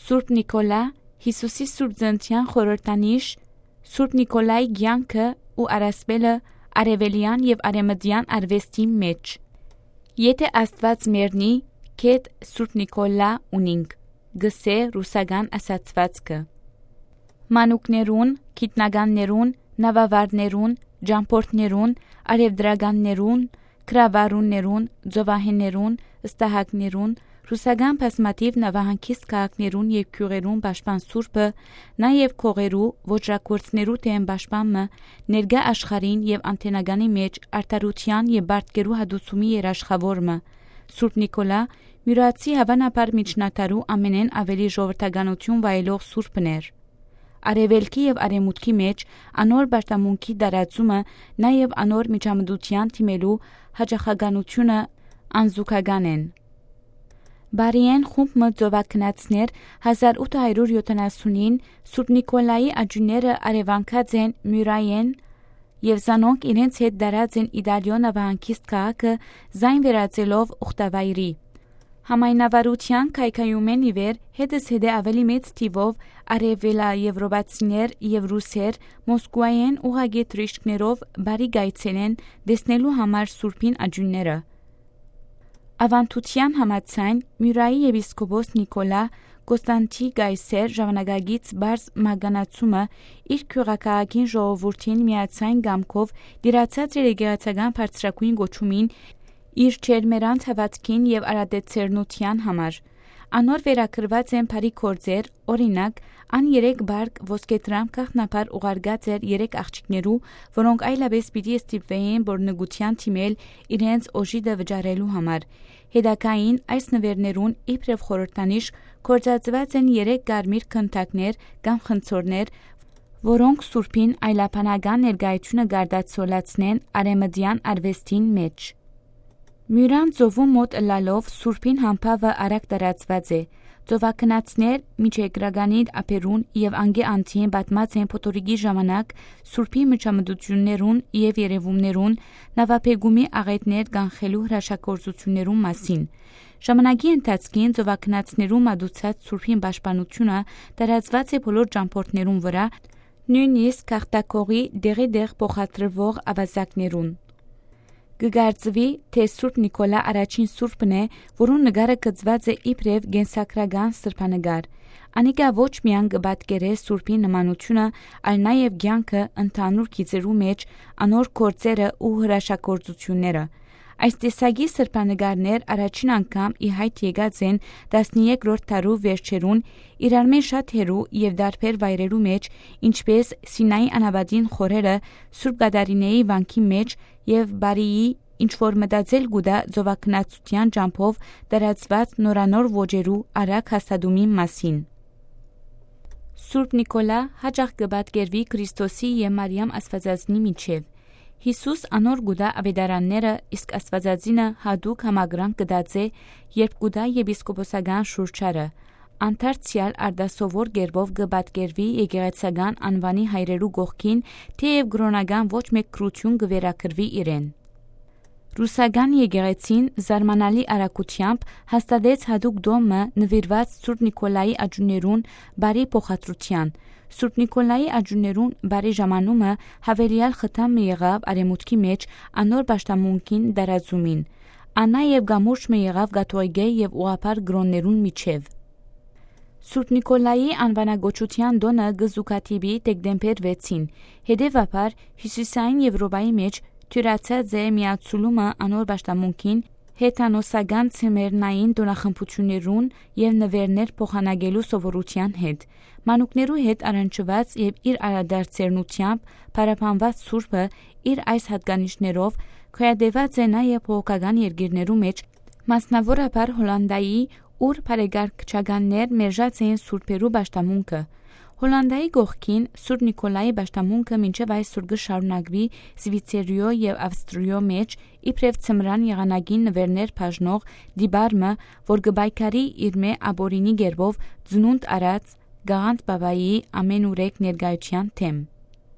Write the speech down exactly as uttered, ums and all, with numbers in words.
Սուրբ Նիկոլա, Յիսուսի Սուրբ Ծննդեան խորհրդանիշ, Սուրբ Նիկոլայի կեանքը ու առասպելը արեւելեան եւ արեւմտեան արուեստին մէջ։ «Եթէ Աստուած մեռնի, կետ Սուրբ Նիկոլա ունինք», կ'ըսէ ռուսական ասացուածքը։ Մանուկներուն, գիտնականներուն, նաւավարներուն, ճամբորդներուն, առեւտրականներուն, գրավարուններուն, ծովահէներուն, ստահակներուն, ռուսական բազմաթիւ նավահանգիստ քաղաքներուն եւ գիւղերուն պաշտպան սուրբը, նաեւ գողերու, ոճրագործներու դէմ պաշտպան մը, ներկայ աշխարհին եւ անդենականի մէջ արդարութեան եւ պարտքերու հատուցումի երաշխաւոր մը, Սուրբ Նիկոլա, Միւրացի հաւանաբար միջնադարու ամենէն աւելի ժողովրդականութիւն վայելող սուրբն էր։ Արեւելքի եւ արեւմուտքի մէջ անոր պաշտամունքի տարածումը, նաեւ անոր միջամտութեան դիմելու յաճախականութիւնը անզուգական են։ Բարիեն խումբ մը ծովագնացներ հազար ութ հարիւր յոթանասունին Սուրբ Նիկոլայի աճիւնները արեւանքած են Միւրայէն եւ զանոնք իրենց հետ տարած են Իտալիոյ նավահանգիստ քաղաքը զայն վերածելով ուխտավայրի։ Համայնավարութեան քայքայումէն ի վեր հետզհետէ աւելի մեծ թիւով արեւելաեւրոպացիներ եւ ռուսեր Մոսկուայէն ուղղակի թրիշկներով բարի կ'այցելեն տեսնելու համար սուրբին աճիւնները։ Աւանդութեան համաձայն, Միուրայի եպիսկոպոս Նիկոլա Կոստանտի Կայսեր ժամանակակից պարզ մահկանացումը իր գիւղաքաղաքին ժողովուրդին միաձայն կամքով տիրացած էր եկեղեցական բարձրագոյն կոչումին, իր ջերմերանդ հաւատքին եւ արատեցերնութեան համար։ Անոր վերագրուած են բարի գործեր, օրինակ, ան երեք պարկ ոսկեդրամ գաղտնաբար ուղարկած էր երեք աղջիկներու, որոնք այլապէս պիտի ստիպուէին, որ նկուղջեան դիմել իրենց օժիտը վճարելու համար։ Հետագային այս նուէրներուն իբրեւ խորհրդանիշ գործածուած են երեք կարմիր գնդակներ կամ խնձորներ, որոնք սուրբին այլաբանական ներկայութիւնը կ'արտացոլացնեն արեւմտեան արուեստին մէջ։ Միուրան ծովու մօտ ըլլալով սուրբին համբաւը արագ տարածուած է։ Ծովագնացներ Միջերկրականի ափերուն եւ անկէ անդին պատմած են փոթորիկի ժամանակ սուրբի միջամտութիւններուն եւ երեւումներուն, նաւաբեկումի աղէտներ կանխելու հրաշագործութիւններուն մասին։ Ժամանակի ընթացքին ծովագնացներու մատուցած սուրբին պաշտպանութիւնը տարածուած է բոլոր ճամբորդներուն վրայ, նոյնիսկ գաղթակողի տեղի տեղ փոխադրուող աւազակներուն։ Կը կարծուի, թէ Սուրբ Նիկոլա առաջին սուրբն է, որուն նկարը կցուած է իբրեւ կենսագրական սրբանկար։ Անիկա ոչ միայն կը պատկերէ սուրբի նմանութիւնը, այլ նաեւ կեանքը, ընդհանուր գիծերու մէջ անոր գործերը ու հրաշագործութիւնները։ Այս տեսակի սրբանկարներ առաջին անգամ ի յայտ եկած են տասներկրորդ դարու վերջերուն, իրարմէ շատ հեռու եւ տարբեր վայրերու մէջ, ինչպէս Սինայի անապատին խորերը, Սուրբ Կատարինեի վանքի մէջ եւ Բարիի, ինչ որ մտածել կու տայ ծովագնացութեան ճամբով տարածուած նորանոր ոճերու արագ հաստատումին մասին։ Սուրբ Նիկոլա յաճախ կը պատկերուի Քրիստոսի եւ Մարիամ Աստուածածնի միջեւ։ Յիսուս անոր կու տայ աւետարանները, իսկ Աստուածածինը յատուկ համակրանք կը տածէ, երբ կու տայ եպիսկոպոսական շուրջարը։ Անդարձեալ արտասովոր կերպով կը պատկերուի եկեղեցական անուանի հայրերու կողքին, թէեւ կրօնական ոչ մէկ գրութիւն կը վերագրուի իրեն։ Ռուսական եկեղեցին զարմանալի արագութեամբ հաստատեց յատուկ տոմը նուիրուած Սուրբ Նիկոլայի աճիւններուն բարի փոխադրութեան։ Սուրբ Նիկոլայի աճիւններուն բարի ժամանումը յաւելեալ խթան մը եղաւ արեւմուտքի մէջ անոր պաշտամունքին տարածումին։ Ան նաեւ կամուրջ մը եղաւ կաթողիկէ եւ ուղղափառ կրօններուն միջեւ։ Սուրբ Նիկոլայի անուանակոչութեան տօնը կը զուգադիպի դեկտեմբեր վեցին, հետեւաբար Հիւսիսային Եւրոպայի մէջ դիւրացած է միացուլումը անոր պաշտամունքին հեթանոսական ցեմերնային տօնախմբութիւններուն եւ նուէրներ փոխանակելու սովորութեան հետ։ Մանուկներու հետ առնչուած եւ իր արադարձերնութեամբ փառաբանուած սուրբը իր այս յատկանիշներով գոյատեւած է նաեւ բողոքական երկիրներու մէջ, մասնաւորաբար Հոլանտայի, ուր բարեկարգչականներ մերժած էին սուրբերու պաշտամունքը։ Հոլանտայի կողքին Սուրբ Նիկոլայի պաշտամունքը մինչեւ այսօր կը շարունակուի Սվիցերիոյ եւ Ավստրիոյ մէջ, իբրեւ ձմրան եղանակին նուէրներ բաժնող տիպար մը, որ կը պայքարի իրմէ ապօրինի կերպով ծնունդ առած Գաղանդ Պապայի ամէնուրեք ներկայութեան դէմ։